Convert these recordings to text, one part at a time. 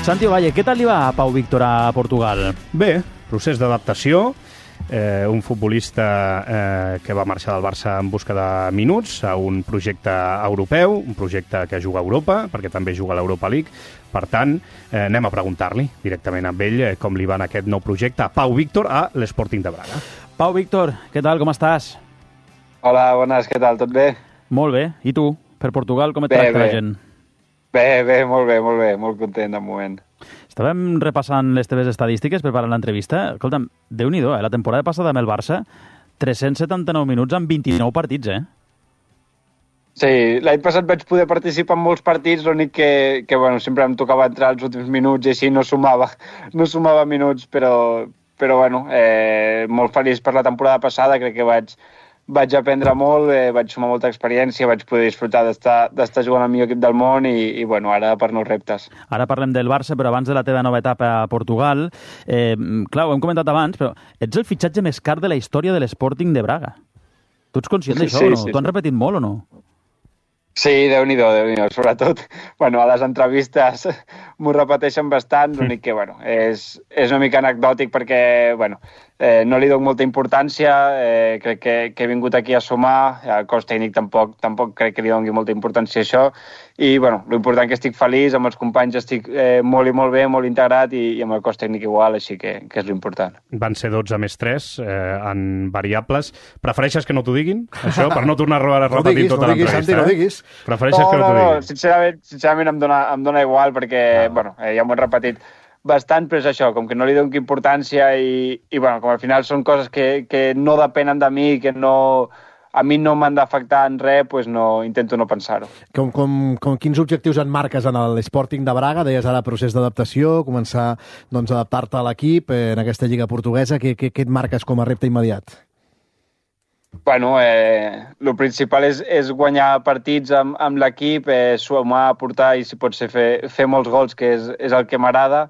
Santi Ovalle, què tal li va a Pau Víctor a Portugal? Bé, procés d'adaptació. Un futbolista que va marxar del Barça en busca de minuts a un projecte europeu, un projecte que juga a Europa, perquè també juga a l'Europa League. Per tant, anem a preguntar-li directament amb ell com li va en aquest nou projecte a Pau Víctor a l'Sporting de Braga. Pau Víctor, què tal, com estàs? Hola, bones, què tal, tot bé? Molt bé, i tu? Per Portugal com et tracta la gent? Bé, molt content de moment. Estàvem repassant les teves estadístiques per parar l'entrevista. Escolta'm, Déu-n'hi-do, la temporada passada amb el Barça, 379 minuts en 29 partits, Sí, l'any passat vaig poder participar en molts partits, l'únic que bueno, sempre em tocava entrar als últims minuts i així no sumava minuts, però bueno, molt feliç per la temporada passada, crec que vaig aprendre molt, vaig sumar molta experiència, vaig poder disfrutar d'estar jugant al millor equip del món i bueno, ara per nous reptes. Ara parlem del Barça, però abans de la teva nova etapa a Portugal, clar, ho hem comentat abans, però ets el fitxatge més car de la història de l'Sporting de Braga. Tu ets conscient d'això o no? Sí. T'ho han repetit molt o no? Sí, Déu-n'hi-do, sobretot, bueno, a les entrevistes m'ho repeteixen bastant, l'únic que, bueno, és una mica anecdòtic perquè, bueno, no li dono molta importància, crec que he vingut aquí a sumar, el cos tècnic tampoc crec que li doni molta importància a això, i, bueno, l'important que estic feliç, amb els companys estic molt i molt bé, molt integrat, i amb el cos tècnic igual, així que és l'important. Van ser 12 més 3 en variables. Prefereixes que no t'ho diguin, això, per no tornar a repetir tota l'entrevista? Santi, no diguis. Prefereixes que no t'ho diguin? Sincerament em dona igual, perquè, bueno, ja m'ho he repetit bastant, però és això, com que no li dono importància i bueno, com al final són coses que no depenen de mi, que a mi no m'han d'afectar en res, doncs intento no pensar-ho. Quins objectius en marques en l'Sporting de Braga? Deies ara procés d'adaptació, començar doncs, a adaptar-te a l'equip en aquesta lliga portuguesa. Què et marques com a repte immediat? Bueno, el principal és guanyar partits amb l'equip, sumar, aportar i, si pot ser, fer molts gols, que és el que m'agrada.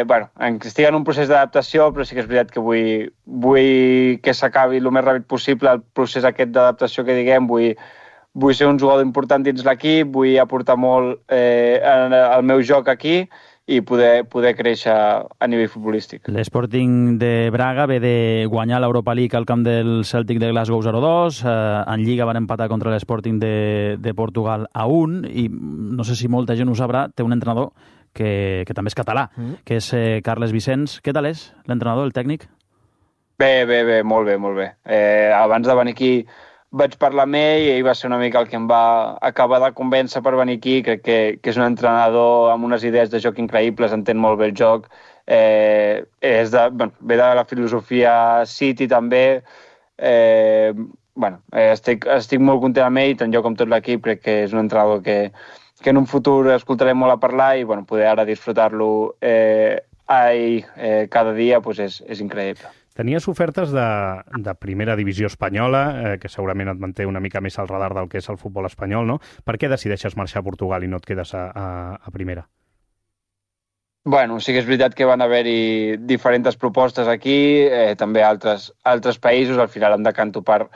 Bueno, estic en un procés d'adaptació, però sí que és veritat que vull que s'acabi el més ràpid possible el procés aquest d'adaptació que diguem. Vull ser un jugador important dins l'equip, vull aportar molt al meu joc aquí i poder créixer a nivell futbolístic. L'Sporting de Braga ve de guanyar l'Europa League al camp del Celtic de Glasgow 0-2, en Lliga van empatar contra l'Sporting de Portugal a 1, i no sé si molta gent ho sabrà, té un entrenador que també és català, que és Carles Vicens. Què tal és l'entrenador, el tècnic? Bé, molt bé. Abans de venir aquí vaig parlar amb ell i ell va ser una mica el que em va acabar de convèncer per venir aquí. Crec que és un entrenador amb unes idees de joc increïbles, entén molt bé el joc. Ve de la filosofia City també. Estic molt content amb ell, tant jo com tot l'equip. Crec que és un entrenador que en un futur escoltarem molt a parlar i poder ara disfrutar-lo cada dia és increïble. Tenies ofertes de primera divisió espanyola, que segurament et manté una mica més al radar del que és el futbol espanyol, no? Per què decideixes marxar a Portugal i no et quedes a primera? Bueno, sí que és veritat que van haver-hi diferents propostes aquí, també altres països. Al final em decanto per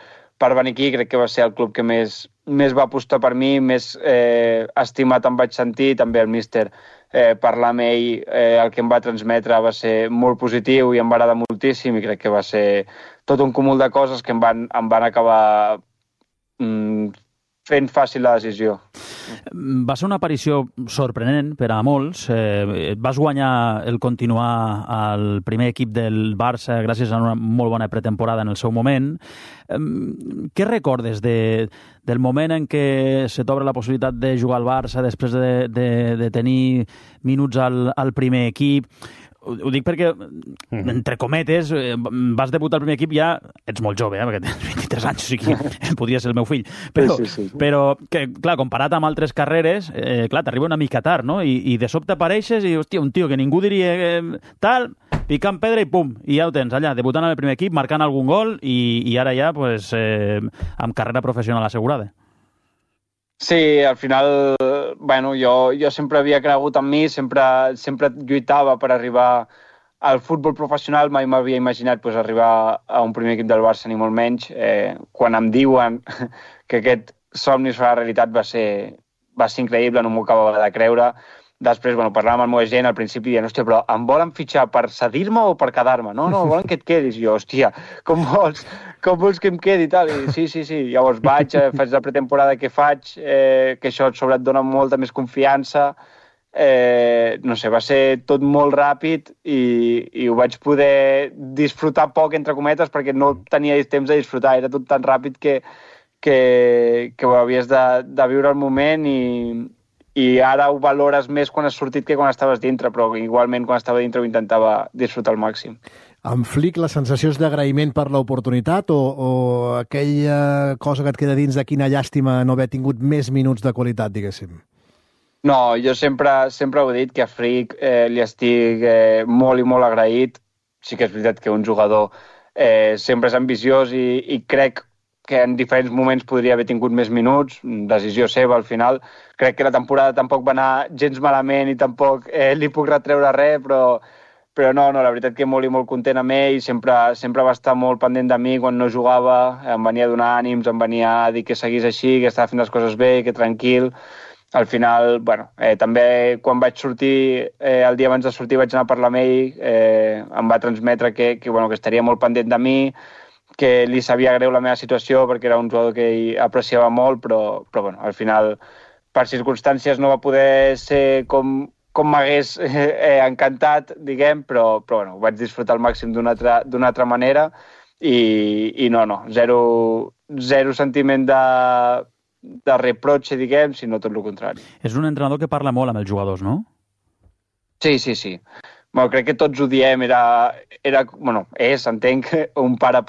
venir aquí. Crec que va ser el club que més va apostar per mi, més estimat em vaig sentir. També el míster, parlar amb ell, el que em va transmetre va ser molt positiu i em va agradar moltíssim, i crec que va ser tot un cúmul de coses que em van acabar fent fàcil la decisió. Va ser una aparició sorprenent per a molts. Vas guanyar el continuar al primer equip del Barça gràcies a una molt bona pretemporada en el seu moment. Què recordes del moment en què se t'obre la possibilitat de jugar al Barça després de tenir minuts al primer equip? Ho dic perquè, entre cometes, vas debutar al primer equip ja... Ets molt jove, perquè tens 23 anys, o sigui, podria ser el meu fill. Però que, clar, comparat amb altres carreres, clar, t'arriba una mica tard, no? I de sobte apareixes i, hòstia, un tio que ningú diria tal, picant pedra i pum, i ja ho tens allà, debutant al primer equip, marcant algun gol i ara ja, pues, amb carrera professional assegurada. Sí, al final, bueno, jo sempre havia cregut en mi, sempre lluitava per arribar al futbol professional. Mai m'havia imaginat arribar a un primer equip del Barça, ni molt menys. Quan em diuen que aquest somni serà realitat va ser increïble, no m'ho acabava de creure. Després, parlàvem amb el meu agent al principi dient, hòstia, però em volen fitxar per cedir-me o per quedar-me? No, volen que et quedis. I jo, hòstia, com vols que em quedi i tal? I sí. Llavors faig la pretemporada que faig, que això sobre et dona molta més confiança. No sé, va ser tot molt ràpid i ho vaig poder disfrutar poc, entre cometes, perquè no tenia temps de disfrutar. Era tot tan ràpid que ho havies de viure al moment i ara ho valores més quan has sortit que quan estaves dintre, però igualment quan estava dintre ho intentava disfrutar al màxim. Amb Flick, la sensació és d'agraïment per l'oportunitat o aquella cosa que et queda dins de quina llàstima no haver tingut més minuts de qualitat, diguéssim? No, jo sempre ho he dit, que a Flick li estic molt i molt agraït. Sí que és veritat que un jugador sempre és ambiciós i crec que en diferents moments podria haver tingut més minuts, decisió seva al final. Crec que la temporada tampoc va anar gens malament i tampoc li puc retreure res, però no, la veritat que molt i molt content amb ell, sempre va estar molt pendent de mi quan no jugava, em venia a donar ànims, em venia a dir que seguís així, que estava fent les coses bé, que tranquil. Al final, també quan vaig sortir, el dia abans de sortir vaig anar a parlar amb ell, em va transmetre que estaria molt pendent de mi, que li sabia greu la meva situació perquè era un jugador que ell apreciava molt, però al final, per circumstàncies, no va poder ser com m'hagués encantat, diguem, però ho vaig disfrutar al màxim d'una altra manera i no, zero sentiment de reproche, diguem, sinó tot el contrari. És un entrenador que parla molt amb els jugadors, no? Sí. Crec que tots ho diem, entenc, un pare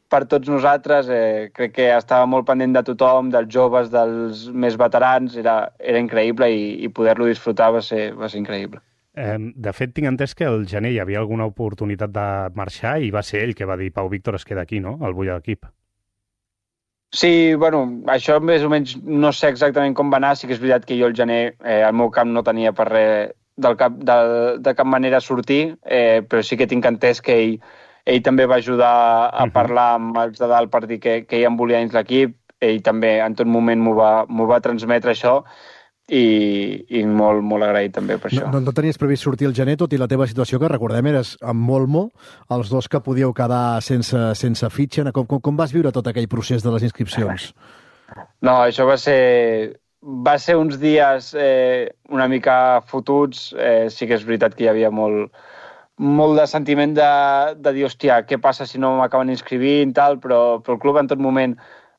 per tots nosaltres, crec que estava molt pendent de tothom, dels joves, dels més veterans, era increïble i poder-lo disfrutar va ser increïble. De fet, tinc entès que al gener hi havia alguna oportunitat de marxar i va ser ell que va dir Pau Víctor es queda aquí, no?, al bull de l'equip. Sí, això més o menys no sé exactament com va anar, sí que és veritat que jo al gener al meu camp no tenia per res de cap manera sortir, però sí que tinc entès que ell també va ajudar a parlar amb els de dalt per dir que ell em volia dins l'equip, ell també en tot moment m'ho va transmetre això i molt, molt agraït també per això. No tenies previst sortir al gener, tot i la teva situació, que recordem eres amb Molmo, els dos que podíeu quedar sense fitxa. Com vas viure tot aquell procés de les inscripcions? No, això va ser uns dies una mica fotuts. Sí que és veritat que hi havia molt de sentiment de dir, hòstia, què passa si no m'acaben inscrivint, tal, però el club en tot moment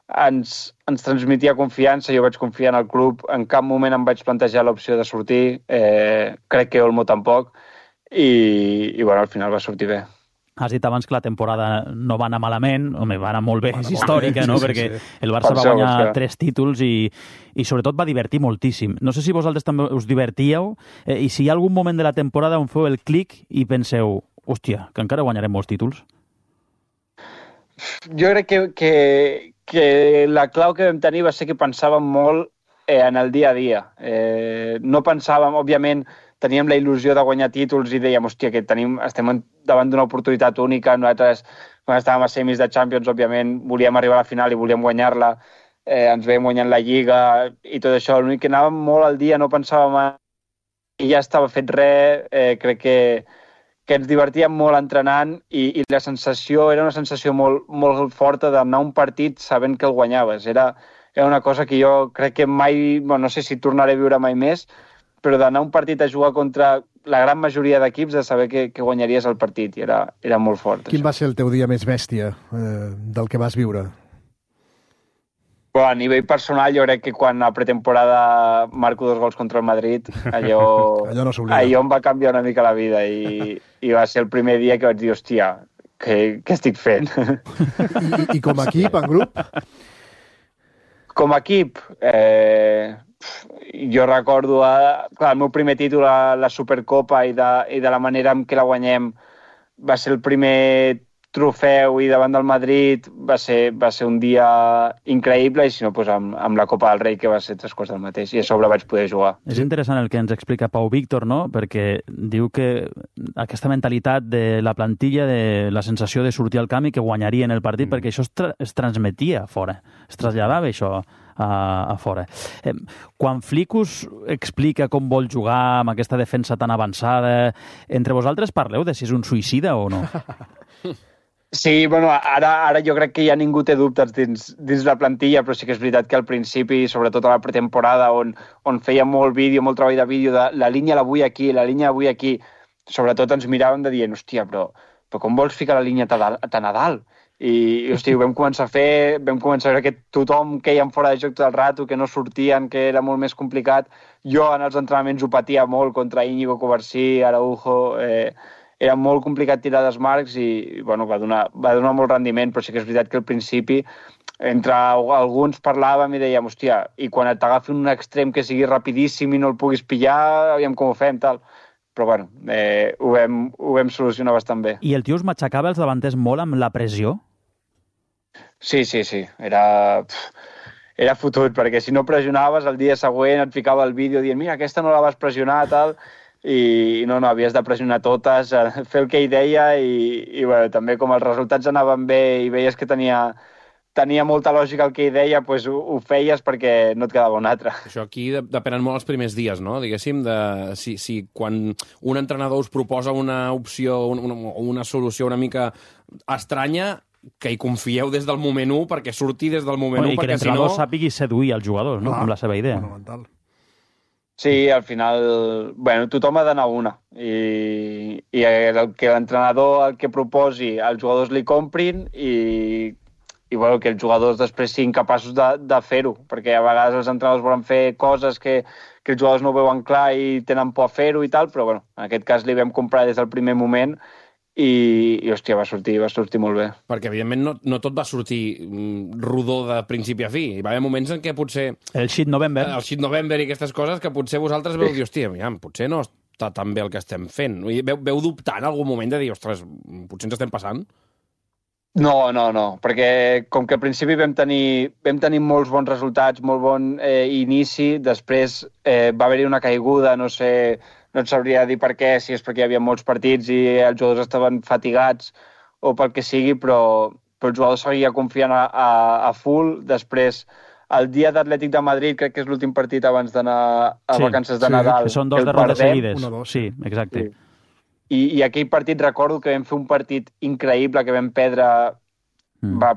ens transmetia confiança, jo vaig confiar en el club, en cap moment em vaig plantejar l'opció de sortir, crec que Olmo tampoc, i al final va sortir bé. Has dit abans que la temporada no va anar malament, va anar molt bé, és històrica, no? Perquè el Barça va guanyar 3 títols i sobretot va divertir moltíssim. No sé si vosaltres també us divertíeu i si hi ha algun moment de la temporada on feu el clic i penseu, hòstia, que encara guanyarem molts títols. Jo crec que la clau que vam tenir va ser que pensàvem molt en el dia a dia. No pensàvem, òbviament, teníem la il·lusió de guanyar títols i dèiem, hòstia, que estem davant d'una oportunitat única. Nosaltres, quan estàvem a semis de Champions, òbviament, volíem arribar a la final i volíem guanyar-la. Ens veiem guanyant la Lliga i tot això. L'únic que anàvem molt al dia, no pensàvem i ja estava fet res. Crec que ens divertíem molt entrenant i la sensació era una sensació molt, molt forta d'anar a un partit sabent que el guanyaves. Era una cosa que jo crec que mai, no sé si tornaré a viure mai més, però d'anar a un partit a jugar contra la gran majoria d'equips, de saber que guanyaries el partit, i era molt fort. Quin va ser el teu dia més bèstia del que vas viure? A nivell personal, jo crec que quan a pretemporada marco 2 gols contra el Madrid, allò em va canviar una mica la vida i va ser el primer dia que vaig dir, hòstia, què estic fent? I com a equip, en grup? Com a equip, jo recordo el meu primer títol a la Supercopa i de la manera en què la guanyem va ser el primer trofeu i davant del Madrid va ser un dia increïble i si no, doncs amb la Copa del Rei que va ser 3 quarts del mateix i a sobre vaig poder jugar. És interessant el que ens explica Pau Víctor, no? Perquè diu que aquesta mentalitat de la plantilla, de la sensació de sortir al camp i que guanyarien el partit, perquè això es transmetia fora, es traslladava això a fora. Quan Flickus explica com vol jugar amb aquesta defensa tan avançada, entre vosaltres parleu de si és un suïcida o no? Sí, bueno, ara jo crec que ja ningú té dubtes dins la plantilla, però sí que és veritat que al principi, sobretot a la pretemporada, on feia molt vídeo, molt treball de vídeo, de la línia la vull aquí, la línia la vull aquí, sobretot ens miràvem de dient, hòstia, però com vols ficar la línia tan a dalt? I hòstia, ho vam començar a fer, vam començar a veure que tothom queien fora de joc tot el rato, que no sortien, que era molt més complicat. Jo en els entrenaments ho patia molt contra Íñigo Covarsí, Araujo, era molt complicat tirar desmarcs i bueno, va donar molt rendiment, però sí que és veritat que al principi entre alguns parlàvem i dèiem, hòstia, i quan t'agafi un extrem que sigui rapidíssim i no el puguis pillar, aviam com ho fem, tal. Però bueno, ho vam solucionar bastant bé. I el tio us matxacava els davanters molt amb la pressió? Sí. Era fotut, perquè si no pressionaves, el dia següent et ficava el vídeo dient, mira, aquesta no la vas pressionar, tal, i no, havies de pressionar totes, fer el que ell deia i bueno, també com els resultats anaven bé i veies que tenia molta lògica el que ell deia, doncs ho feies perquè no et quedava un altre. Això aquí depenen molt els primers dies, no? Diguéssim, si quan un entrenador us proposa una opció, una solució una mica estranya, que hi confieu des del moment 1 perquè surti des del moment 1, perquè si no... I que l'entrenador sàpigui seduir els jugadors, no? Amb la seva idea. Fonamental. Sí, al final, bueno, tothom ha d'anar una i el que l'entrenador el que proposi, els jugadors li comprin i bueno, que els jugadors després siguin capaços de fer-ho, perquè a vegades els entrenadors volen fer coses que els jugadors no ho veuen clar i tenen por a fer-ho i tal, però bueno, en aquest cas li vam comprar des del primer moment i hòstia, va sortir molt bé. Perquè, evidentment, no tot va sortir rodó de principi a fi. Hi va haver moments en què potser... El shit November. El shit November i aquestes coses que potser vosaltres veu dir, hòstia, potser no està tan bé el que estem fent. Veu dubtar en algun moment de dir, ostres, potser ens estem passant? No, perquè com que al principi vam tenir molts bons resultats, molt bon inici, després va haver-hi una caiguda, no et sabria dir per què, si és perquè hi havia molts partits i els jugadors estaven fatigats o pel que sigui, però el jugador seguia confiant a full. Després, el dia d'Atlètic de Madrid, crec que és l'últim partit abans d'anar a vacances de Nadal. Que són 2 derrotes seguides. 1-2. Sí, exacte. Sí. I aquell partit recordo que vam fer un partit increïble que vam perdre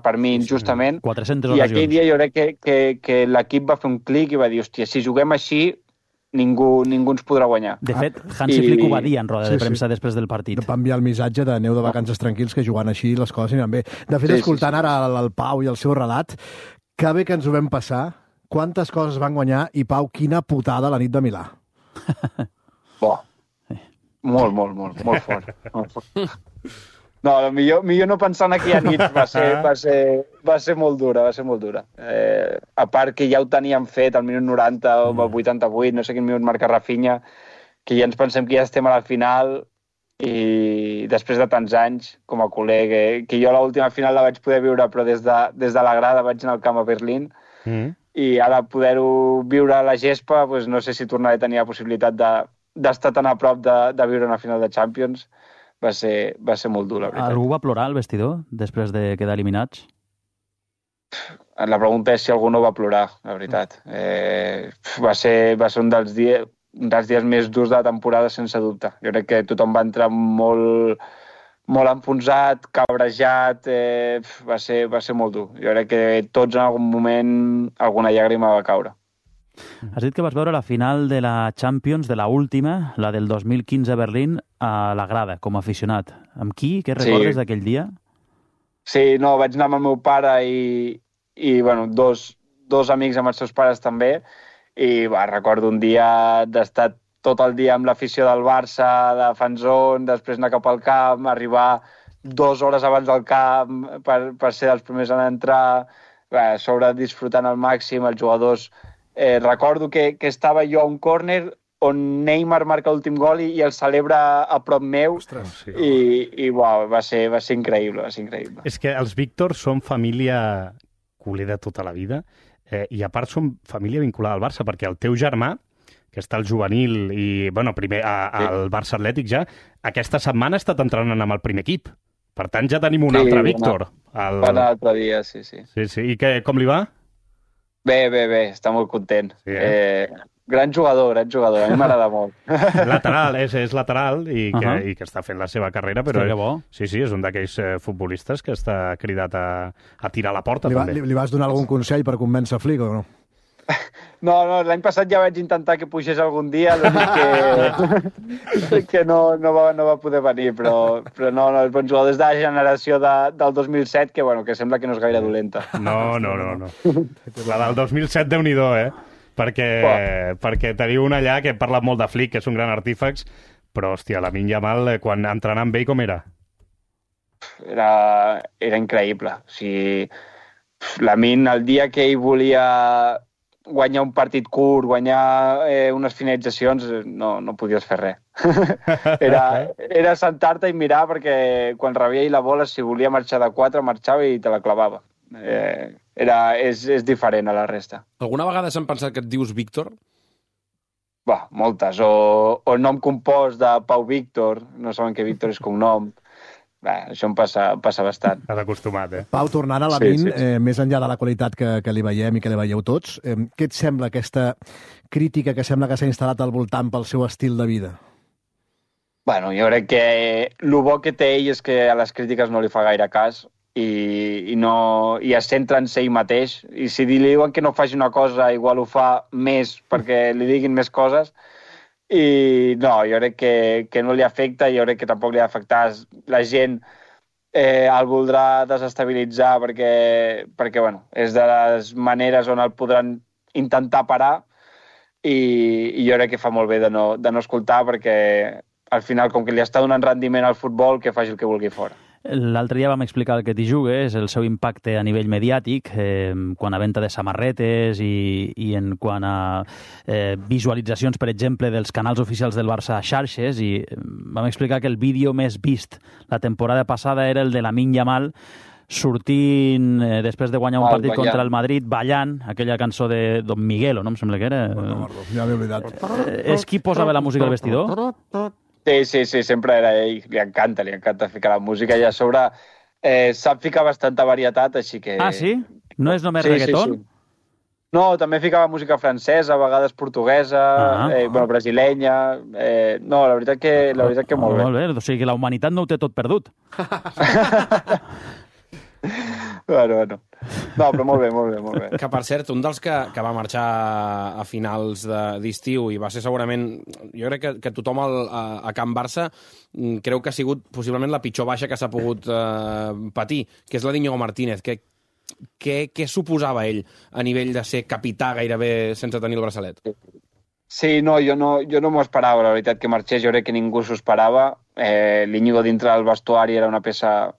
per mi injustament. 400 I aquell dia jo crec que l'equip va fer un clic i va dir, hòstia, si juguem així ningú ens podrà guanyar. De fet, Hansi Flick ho va dir en roda de premsa després del partit. Va enviar el missatge de aneu de vacances tranquils, que jugant així les coses aniran bé. De fet, escoltant ara el Pau i el seu relat, que bé que ens ho vam passar, quantes coses van guanyar i, Pau, quina putada la nit de Milà. Molt fort. No, millor no pensar en aquella nit, va ser molt dura, a part que ja ho teníem fet al minut 90 o al 88, no sé quin minut marca Rafinha, que ja ens pensem que ja estem a la final i després de tants anys, com a col·lega, que jo l'última final la vaig poder viure, però des de la grada vaig anar al camp a Berlín, i ara poder-ho viure a la gespa, doncs no sé si tornaré a tenir la possibilitat d'estar tan a prop de viure una final de Champions. Va ser molt dur, la veritat. Algú va plorar al vestidor després de quedar eliminats? La pregunta és si algú no va plorar, la veritat. Va ser un dels dies més durs de la temporada, sense dubte. Jo crec que tothom va entrar molt enfonsat, cabrejat, va ser molt dur. Jo crec que tots en algun moment alguna llàgrima va caure. Has dit que vas veure la final de la Champions, de la última, la del 2015 a Berlín, a la grada, com a aficionat. Amb qui? Què recordes d'aquell dia? Sí, no, vaig anar amb el meu pare i bueno, dos amics amb els seus pares també, i recordo un dia d'estar tot el dia amb l'afició del Barça, de fanzón, després anar cap al camp, arribar 2 hores abans del camp per ser els primers a entrar, a sobre disfrutant al màxim, els jugadors... recordo que estava jo a un córner on Neymar marca l'últim gol i el celebra a prop meu. Ostres, sí. I va ser increïble, És que els Víctor són família culer de tota la vida i a part són família vinculada al Barça, perquè el teu germà, que està al juvenil i, bueno, primer al Barça Atlètic ja, aquesta setmana ha estat entrenant amb el primer equip. Per tant, ja tenim un altre Víctor. Va anar l'altre dia, sí. Sí. I com li va? Bé, està molt content. Sí, Gran jugador, a mi m'agrada molt. Lateral, és lateral i que està fent la seva carrera, però que bo. sí, és un d'aquells futbolistes que està cridat a tirar a la porta, també. Li vas donar algun consell per convèncer Flick o no? No, l'any passat ja vaig intentar que pugés algun dia, que no va poder venir, però no, és bon jugador. Des de la generació del 2007, que sembla que no és gaire dolenta. No. La del 2007, Déu-n'hi-do, perquè teniu un allà que parla molt de Flick, que és un gran artífex, però, hòstia, Lamine Yamal, quan entrenant amb ell, com era? Era increïble. O sigui, Lamine, el dia que ell volia guanyar un partit curt, guanyar unes finalitzacions, no podies fer res. Era sentar-te i mirar, perquè quan rebia ell la bola, si volia marxar de 4, marxava i te la clavava. És diferent a la resta. Alguna vegada s'han pensat que et dius Víctor? Moltes. O nom compost de Pau Víctor, no saben que Víctor és cognom. Això em passa bastant. T'has acostumat, Pau, tornant a Lamine, Sí. més enllà de la qualitat que li veiem i que li veieu tots, què et sembla aquesta crítica que sembla que s'ha instal·lat al voltant pel seu estil de vida? Jo crec que el bo que té ell és que a les crítiques no li fa gaire cas i es centra en ser ell mateix. I si li diuen que no faci una cosa, igual ho fa més perquè li diguin més coses. I no, jo crec que no li afecta, jo crec que tampoc li ha d'afectar. La gent el voldrà desestabilitzar perquè és de les maneres on el podran intentar parar i jo crec que fa molt bé de no escoltar, perquè al final, com que li està donant rendiment al futbol, que faci el que vulgui fora. L'altre dia vam explicar el que t'hi jugues, el seu impacte a nivell mediàtic, quan a venda de samarretes i en quant a visualitzacions, per exemple, dels canals oficials del Barça a xarxes, i vam explicar que el vídeo més vist la temporada passada era el de Lamine Yamal sortint, després de guanyar un partit contra el Madrid, ballant aquella cançó de Don Miguelo, no? Em sembla que era. Ja m'he oblidat. És qui posava la música al vestidor? Sí, sempre era ell. Li encanta ficar la música i a sobre sap ficar bastanta varietat, així que... Ah, sí? No és només reggaeton? Sí. No, també ficava música francesa, a vegades portuguesa, brasilenya... No, la veritat que molt bé. Molt bé, o sigui que la humanitat no ho té tot perdut. Bueno. No, però molt bé. Que, per cert, un dels que va marxar a finals d'estiu i va ser segurament... Jo crec que tothom a Can Barça creu que ha sigut possiblement la pitjor baixa que s'ha pogut patir, que és la d'Íñigo Martínez. Què suposava ell a nivell de ser capità gairebé sense tenir el braçalet? Sí, no, jo no m'ho esperava, la veritat, que marxés. Jo crec que ningú s'ho esperava. L'Íñigo dintre del vestuari era una peça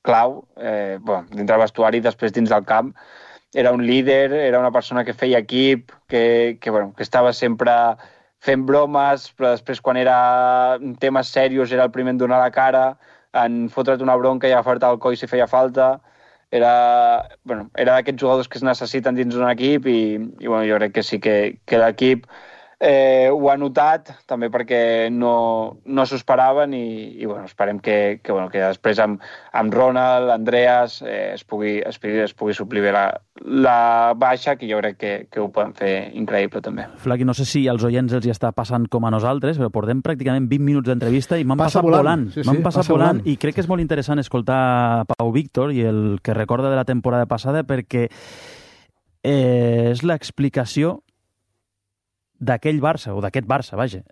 clau, dintre del vestuari, després dins del camp. Era un líder, era una persona que feia equip, que estava sempre fent bromes, però després quan era temes serios era el primer en donar la cara, en fotre't una bronca i agafar-te al coll si feia falta. Era d'aquests jugadors que es necessiten dins d'un equip i jo crec que sí que l'equip ho ha notat, també perquè no s'ho esperaven i esperem que després amb Ronald, Andreas, es pugui suplir bé la baixa, que jo crec que ho poden fer increïble també. Flaqui, no sé si als oients els hi està passant com a nosaltres, però portem pràcticament 20 minuts d'entrevista i m'han passat volant. Sí, m'han passat volant i crec que és molt interessant escoltar Pau Víctor i el que recorda de la temporada passada, perquè és l'explicació d'aquell Barça, o d'aquest Barça, vaja.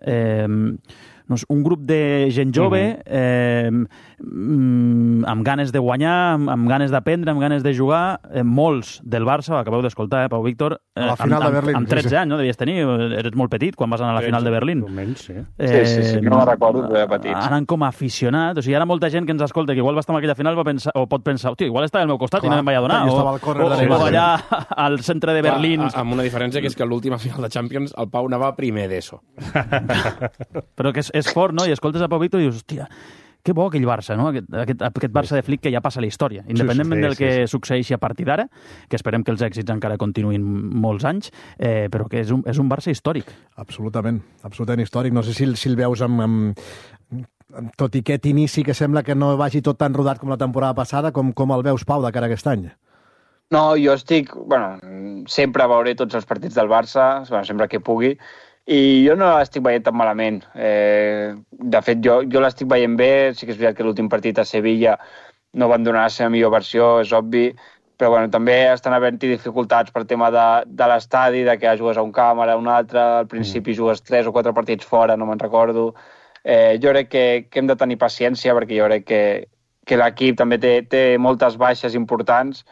Un grup de gent jove amb ganes de guanyar, amb ganes d'aprendre, amb ganes de jugar, molts del Barça, ho acabeu d'escoltar, Pau Víctor, a la final de Berlín, amb 13 anys, no? Devies tenir, eres molt petit quan vas anar a la final de Berlín. Sí, no me'n recordo, però era petit. Anant com a aficionat, o sigui, ara molta gent que ens escolta, que igual va estar en aquella final, pot pensar, hòstia, igual estava al meu costat i no me'n vaig adonar, o allà al centre de Berlín. Amb una diferència, que és que a l'última final de Champions el Pau anava primer d'ESO. Però que és fort, no? I escoltes a Pau Víctor i dius, hòstia, que bo aquell Barça, no? Aquest Barça de Flick que ja passa a la història, independentment del que succeeixi a partir d'ara, que esperem que els èxits encara continuïn molts anys, però que és un Barça històric. Absolutament històric. No sé si el veus amb tot i aquest inici que sembla que no vagi tot tan rodat com la temporada passada, com el veus, Pau, de cara a aquest any? No, jo estic... sempre veuré tots els partits del Barça, sempre que pugui, i jo no l'estic veient tan malament. De fet, jo l'estic veient bé, sí que és veritat que l'últim partit a Sevilla no van donar la seva millor versió, és obvi, però també estan havent-hi dificultats per tema de l'estadi, de que jugues a un camp, ara a un altre, al principi jugues 3 o 4 partits fora, no me'n recordo. Jo crec que hem de tenir paciència, perquè jo crec que l'equip també té moltes baixes importants,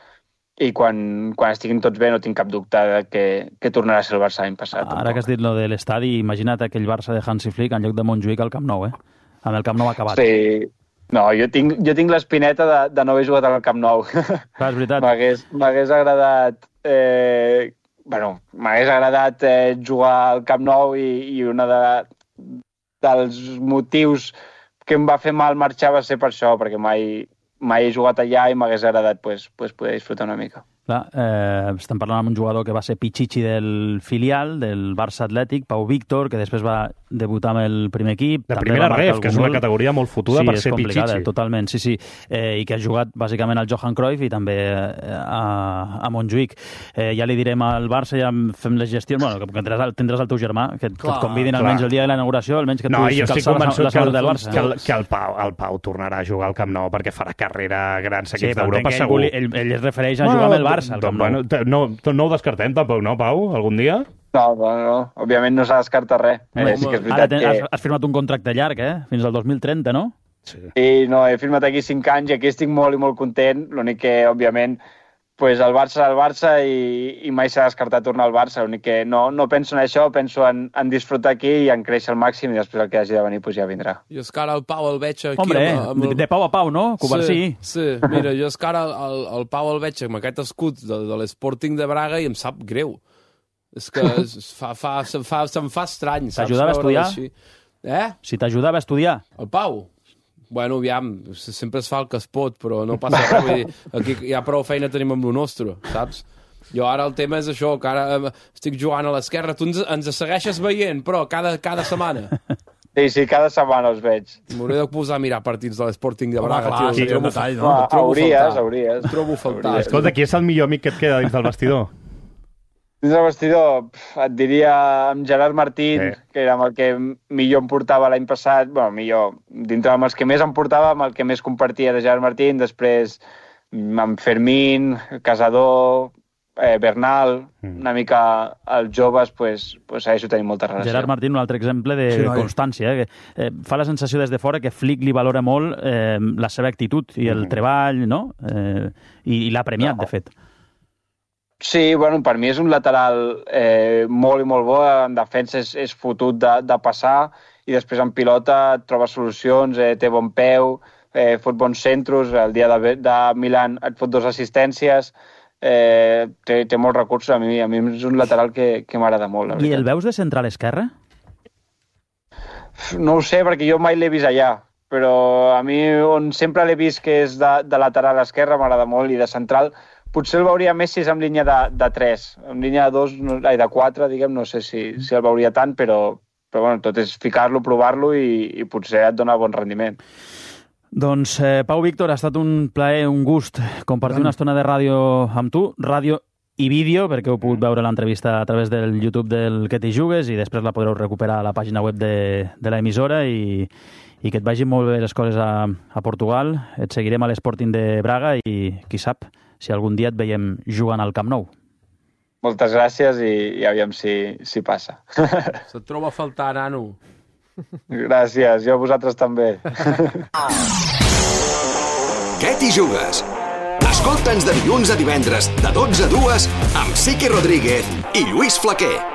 i quan estiguin tots bé no tinc cap dubte que tornarà a ser el Barça l'any passat. Ara que has dit lo de l'estadi, imagina't aquell Barça de Hansi Flick en lloc de Montjuïc al Camp Nou, amb el Camp Nou acabat. Sí, no, jo tinc l'espineta de no haver jugat al Camp Nou. Clar, és veritat. M'hagués agradat... m'hagués agradat jugar al Camp Nou i una dels motius que em va fer mal marxar va ser per això, perquè mai he jugat allà i m'hagués agradat poder disfrutar una mica. Clar, estem parlant amb un jugador que va ser Pichichi del filial, del Barça Atlètic, Pau Víctor, que després va debutar amb el primer equip. De primera ref, que és una categoria molt fotuda per ser Pichichi. Totalment, sí. I que ha jugat bàsicament al Johan Cruyff i també a Montjuïc. Ja li direm al Barça, ja fem les gestions, que tindràs el teu germà, que et convidin almenys el dia de la inauguració, almenys que tu calçar la samarreta del Barça. Que el Pau tornarà a jugar al Camp Nou perquè farà carrera a grans equips d'Europa, segur. Ell es refereix a jugar amb el Barça. No ho descartem tampoc, no, Pau? Algun dia? No. Òbviament no s'ha descartat res. Sí que és veritat has firmat un contracte llarg, fins al 2030, no? Sí. I no, he firmat aquí 5 anys i aquí estic molt i molt content. L'únic que, òbviament, el Barça i mai s'ha descartat tornar al Barça. L'únic que no penso en això, penso en disfrutar aquí i en créixer al màxim i després el que hagi de venir ja vindrà. Jo és que ara el Pau el veig aquí... Hombre, de Pau a Pau, no? Covarsí. Sí, mira, jo és que ara el Pau el veig amb aquest escut de l'Sporting de Braga i em sap greu. És que se'm fa estrany. T'ajudava a estudiar? Si t'ajudava a estudiar? El Pau? Bueno, aviam, sempre es fa el que es pot, però no passa res. Vull dir, aquí ja prou feina tenim amb lo nostre, saps? Jo ara el tema és això, que ara estic jugant a l'esquerra. Tu ens segueixes veient, però cada setmana. Sí, cada setmana els veig. M'hauré de posar a mirar partits de l'Sporting de Braga. Hauries. Trobo faltar. Escolta, qui és el millor amic que et queda dins del vestidor? Dins del vestidor, et diria amb Gerard Martín, que era amb el que millor em portava l'any passat. Millor, dintre amb els que més em portava, amb el que més compartia de Gerard Martín, després amb Fermín, Casador, Bernal, una mica els joves, segueixo tenint molta relació. Gerard Martín, un altre exemple de constància. Fa la sensació des de fora que Flick li valora molt la seva actitud i el treball, no? I l'ha premiat, de fet. Sí, per mi és un lateral molt i molt bo, en defensa és fotut de passar i després en pilota troba solucions, té bon peu, fot bons centros, el dia de Milan et fot 2 assistències, té molts recursos, a mi és un lateral que m'agrada molt. I el veus de central esquerre? No ho sé, perquè jo mai l'he vist allà, però a mi on sempre l'he vist que és de lateral esquerre m'agrada molt i de central potser el veuria més si és en línia de 3. En línia de 2, de 4, diguem, no sé si el veuria tant, però tot és ficar-lo, provar-lo i potser et dona bon rendiment. Doncs, Pau Víctor, ha estat un plaer, un gust compartir una estona de ràdio amb tu, ràdio i vídeo, perquè heu pogut veure l'entrevista a través del YouTube del Que t'hi jugues i després la podreu recuperar a la pàgina web de l'emissora i que et vagin molt bé les coses a Portugal. Et seguirem a l'Sporting de Braga i, qui sap, si algun dia et veiem jugant al Camp Nou. Moltes gràcies i aviam si passa. Se't troba a faltar, nano. Gràcies, jo a vosaltres també. Què t'hi jugues? Escolta'ns de dilluns a divendres, de 12 a 2, amb Sique Rodríguez i Lluís Flaquer.